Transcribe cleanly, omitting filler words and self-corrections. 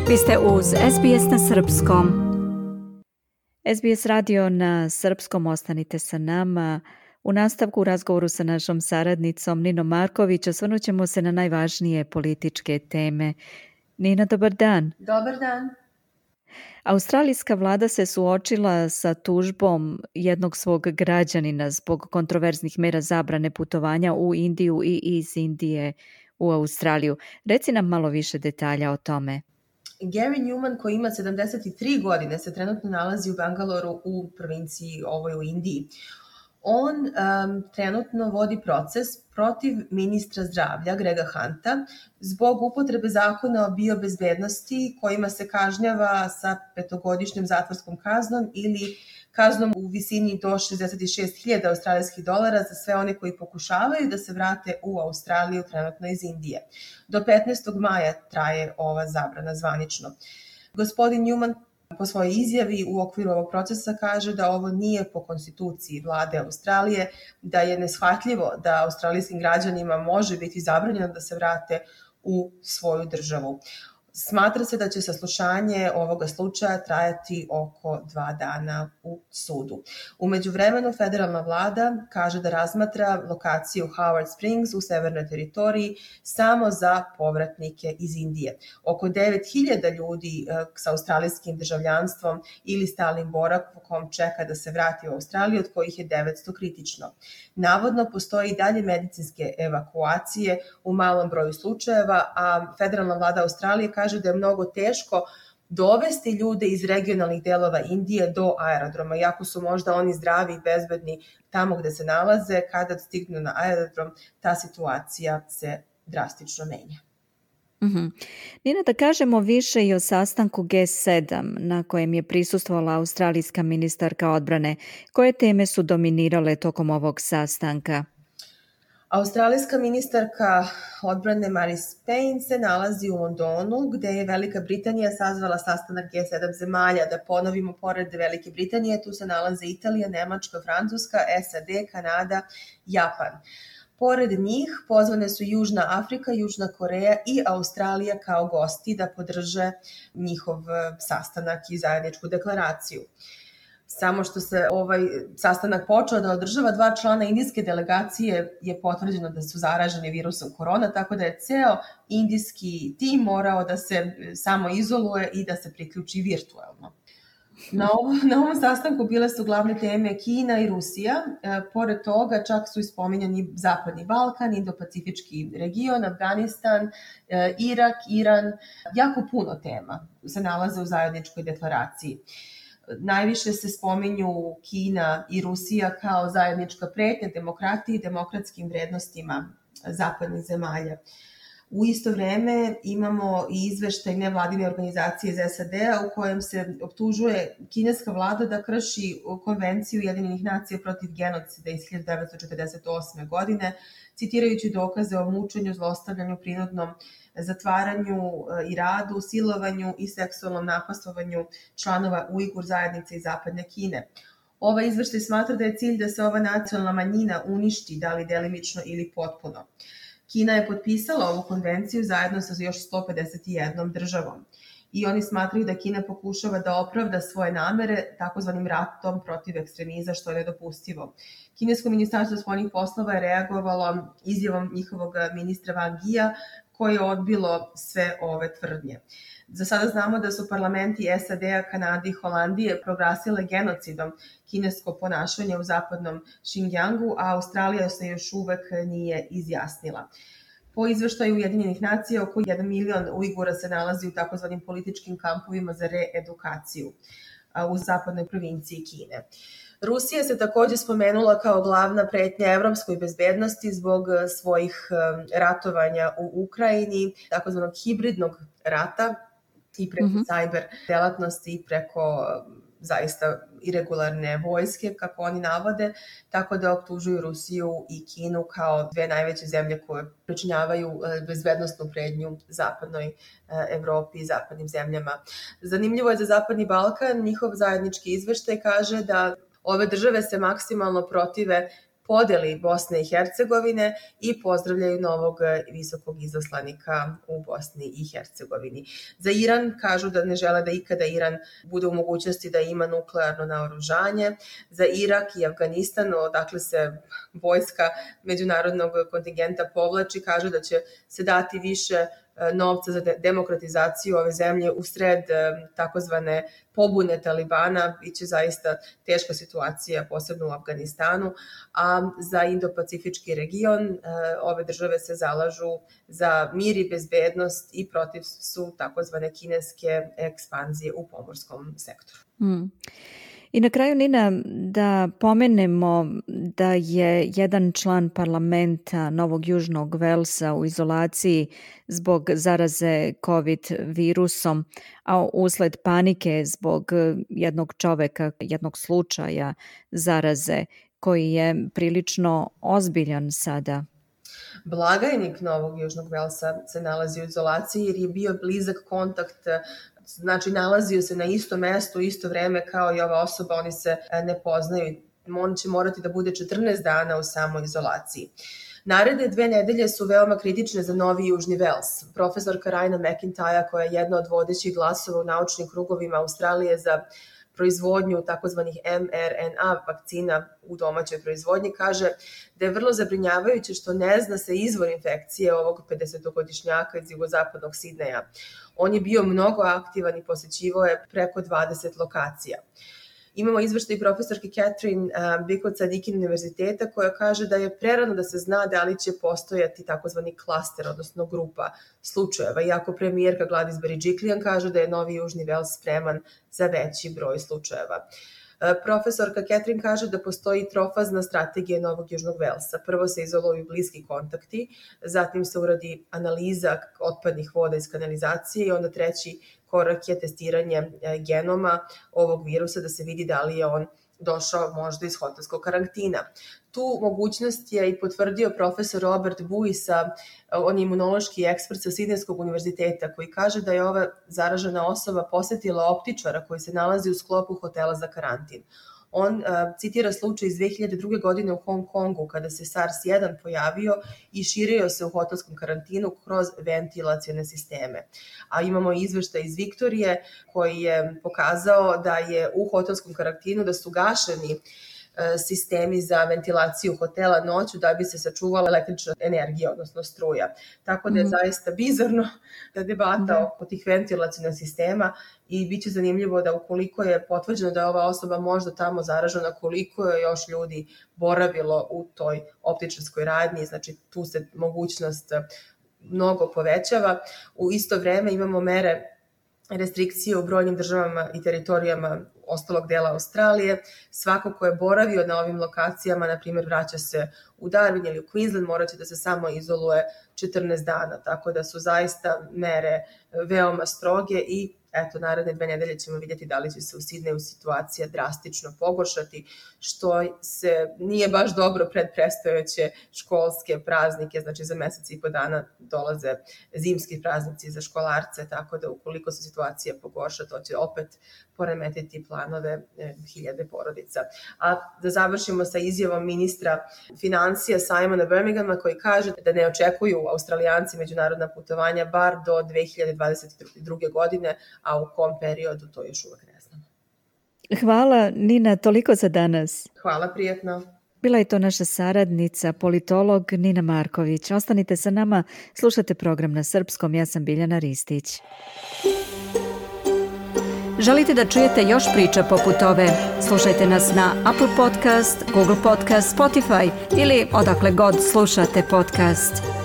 Vi ste uz SBS na Srpskom. SBS radio na Srpskom, ostanite sa nama. U nastavku razgovoru sa našom saradnicom Ninom Marković osvrnut ćemo se na najvažnije političke teme. Nina, dobar dan. Dobar dan. Australijska vlada se suočila sa tužbom jednog svog građanina zbog kontroverznih mera zabrane putovanja u Indiju i iz Indije u Australiju. Reci nam malo više detalja o tome. Gary Newman, koji ima 73 godine, se trenutno nalazi u Bangaloru u provinciji ovoj u Indiji. On trenutno vodi proces protiv ministra zdravlja Grega Hunta zbog upotrebe zakona o biobezbednosti kojima se kažnjava sa 5-godišnjom zatvorskom kaznom ili kaznom u visini do 66.000 australijskih dolara za sve one koji pokušavaju da se vrate u Australiju trenutno iz Indije. Do 15. maja traje ova zabrana zvanično. Gospodin Newman po svojoj izjavi u okviru ovog procesa kaže da ovo nije po konstituciji vlade Australije, da je neshvatljivo da australijskim građanima može biti zabranjeno da se vrate u svoju državu. Smatra se da će saslušanje ovoga slučaja trajati oko 2 dana u sudu. U međuvremenu federalna vlada kaže da razmatra lokaciju Howard Springs u severnoj teritoriji samo za povratnike iz Indije. Oko 9.000 ljudi sa australijskim državljanstvom ili stalnim boravkom čeka da se vrati u Australiju, od kojih je 900 kritično. Navodno postoji i dalje medicinske evakuacije u malom broju slučajeva, a federalna vlada Australije kaže da je mnogo teško dovesti ljude iz regionalnih delova Indije do aerodroma, iako su možda oni zdravi i bezbedni tamo gde se nalaze, kada stignu na aerodrom, ta situacija se drastično menja. Nina, da kažemo više i o sastanku G7 na kojem je prisustvovala australijska ministarka odbrane. Koje teme su dominirale tokom ovog sastanka? Australijska ministarka odbrane Marise Payne se nalazi u Londonu, gde je Velika Britanija sazvala sastanak G7 zemalja. Da ponovimo, pored Velike Britanije tu se nalaze Italija, Nemačka, Francuska, SAD, Kanada, Japan. Pored njih pozvane su Južna Afrika, Južna Koreja i Australija kao gosti da podrže njihov sastanak i zajedničku deklaraciju. Samo što se ovaj sastanak počeo da održava, 2 člana indijske delegacije je potvrđeno da su zaraženi virusom korona, tako da je ceo indijski tim morao da se samo izoluje i da se priključi virtuelno. Na ovom sastanku bile su glavne teme Kina i Rusija. Pored toga čak su ispominjani Zapadni Balkan, Indo-Pacifički region, Afganistan, Irak, Iran. Jako puno tema se nalaze u zajedničkoj deklaraciji. Najviše se spominju Kina i Rusija kao zajednička pretnja demokratiji i demokratskim vrednostima zapadnih zemalja. U isto vreme imamo i izveštaj nevladine organizacije iz SAD-a u kojem se optužuje kineska vlada da krši konvenciju Ujedinjenih nacija protiv genocida iz 1948. godine, citirajući dokaze o mučenju, zlostavljanju, prinudnom zatvaranju i radu, silovanju i seksualnom napastovanju članova Ujgur zajednice iz zapadne Kine. Ovaj izveštaj smatra da je cilj da se ova nacionalna manjina uništi, da li delimično ili potpuno. Kina je potpisala ovu konvenciju zajedno sa još 151 državom i oni smatraju da Kina pokušava da opravda svoje namere takozvanim ratom protiv ekstremizma, što je nedopustivo. Kinesko ministarstvo spoljnih poslova je reagovalo izjavom njihovog ministra Wang Yia, koje je odbilo sve ove tvrdnje. Za sada znamo da su parlamenti SAD-a, Kanade i Holandije proglasile genocidom kinesko ponašanje u zapadnom Xinjiangu, a Australija se još uvek nije izjasnila. Po izveštaju Ujedinjenih nacija, oko 1 milion Ujgura se nalazi u takozvanim političkim kampovima za reedukaciju u zapadnoj provinciji Kine. Rusija se takođe spomenula kao glavna pretnja evropskoj bezbednosti zbog svojih ratovanja u Ukrajini, takozvanog hibridnog rata i preko cyber delatnosti i preko zaista irregularne vojske, kako oni navode, tako da optužuju Rusiju i Kinu kao 2 najveće zemlje koje pričinjavaju bezbednostnu pretnju zapadnoj Evropi i zapadnim zemljama. Zanimljivo je za Zapadni Balkan, njihov zajednički izveštaj kaže da ove države se maksimalno protive podeli Bosne i Hercegovine i pozdravljaju novog visokog izaslanika u Bosni i Hercegovini. Za Iran kažu da ne žele da ikada Iran bude u mogućnosti da ima nuklearno naoružanje. Za Irak i Afganistan, odakle se vojska međunarodnog kontingenta povlači, kažu da će se dati više novca za demokratizaciju ove zemlje usred takozvane pobune Talibana. Biće zaista teška situacija, posebno u Afganistanu, a za Indo-Pacifički region ove države se zalažu za mir i bezbednost i protiv su takozvane kineske ekspanzije u pomorskom sektoru. I na kraju, Nina, da pomenemo da je jedan član parlamenta Novog Južnog Velsa u izolaciji zbog zaraze COVID virusom, a usled panike zbog jednog čoveka, jednog slučaja zaraze koji je prilično ozbiljan sada. Blagajnik Novog Južnog Velsa se nalazi u izolaciji jer je bio blizak kontakt, znači nalazio se na istom mestu, isto vreme kao i ova osoba, oni se ne poznaju. On će morati da bude 14 dana u samoizolaciji. Naredne 2 nedelje su veoma kritične za Novi Južni Vels. Profesorka Raina McIntyre, koja je jedna od vodećih glasova u naučnim krugovima Australije za proizvodnju takozvanih mRNA vakcina u domaćoj proizvodnji, kaže da je vrlo zabrinjavajuće što ne zna se izvor infekcije ovog 50-godišnjaka iz jugozapadnog Sidneja. On je bio mnogo aktivan i posećivao je preko 20 lokacija. Imamo izveštaj profesorke Catherine Bicot sa Deakin univerziteta koja kaže da je prerano da se zna da li će postojati takozvani klaster, odnosno grupa slučajeva, iako premijerka Gladys Berejiklian kaže da je Novi Južni Vels spreman za veći broj slučajeva. Profesorka Catherine kaže da postoji trofazna strategija Novog Južnog Velsa. Prvo se izoluju bliski kontakti, zatim se uradi analiza otpadnih voda iz kanalizacije i onda treći korak je testiranje genoma ovog virusa da se vidi da li je on došao možda iz hotelskog karantina. Tu mogućnost je i potvrdio profesor Robert Buisa, on je imunološki ekspert sa Sidnejskog univerziteta, koji kaže da je ova zaražena osoba posetila optičara koji se nalazi u sklopu hotela za karantin. On citira slučaj iz 2002. godine u Hong Kongu kada se SARS-1 pojavio i širio se u hotelskom karantinu kroz ventilacione sisteme. A imamo izveštaj iz Viktorije koji je pokazao da je u hotelskom karantinu da su gašeni sistemi za ventilaciju hotela noću da bi se sačuvala električna energija, odnosno struja. Tako da je zaista bizarno da debata oko tih ventilacijnih sistema i bit će zanimljivo da ukoliko je potvrđeno da je ova osoba možda tamo zaražena, koliko je još ljudi boravilo u toj optičarskoj radnji, znači tu se mogućnost mnogo povećava. U isto vreme imamo mere restrikcije u brojnim državama i teritorijama ostalog dela Australije. Svako ko je boravio na ovim lokacijama, na primjer vraća se u Darwin ili u Queensland, moraće da se samo izoluje 14 dana, tako da su zaista mere veoma stroge i eto, naredne 2 nedelje ćemo vidjeti da li će se u Sidneju situacija drastično pogoršati, što se nije baš dobro pred predstojeće školske praznike, znači za mesec i po dana dolaze zimski praznici za školarce, tako da ukoliko se situacija pogorša, to će opet poremetiti planove hiljade porodica. A da završimo sa izjavom ministra finansija Simona Birminghama koji kaže da ne očekuju Australijanci međunarodna putovanja bar do 2022. godine, a u kom periodu to još uvek ne znamo. Hvala, Nina, toliko za danas. Hvala, prijatno. Bila je to naša saradnica, politolog Nina Marković. Ostanite sa nama, slušate program na srpskom, ja sam Biljana Ristić. Želite da čujete još priča poput ove? Slušajte nas na Apple Podcast, Google Podcast, Spotify ili odakle god slušate podcast.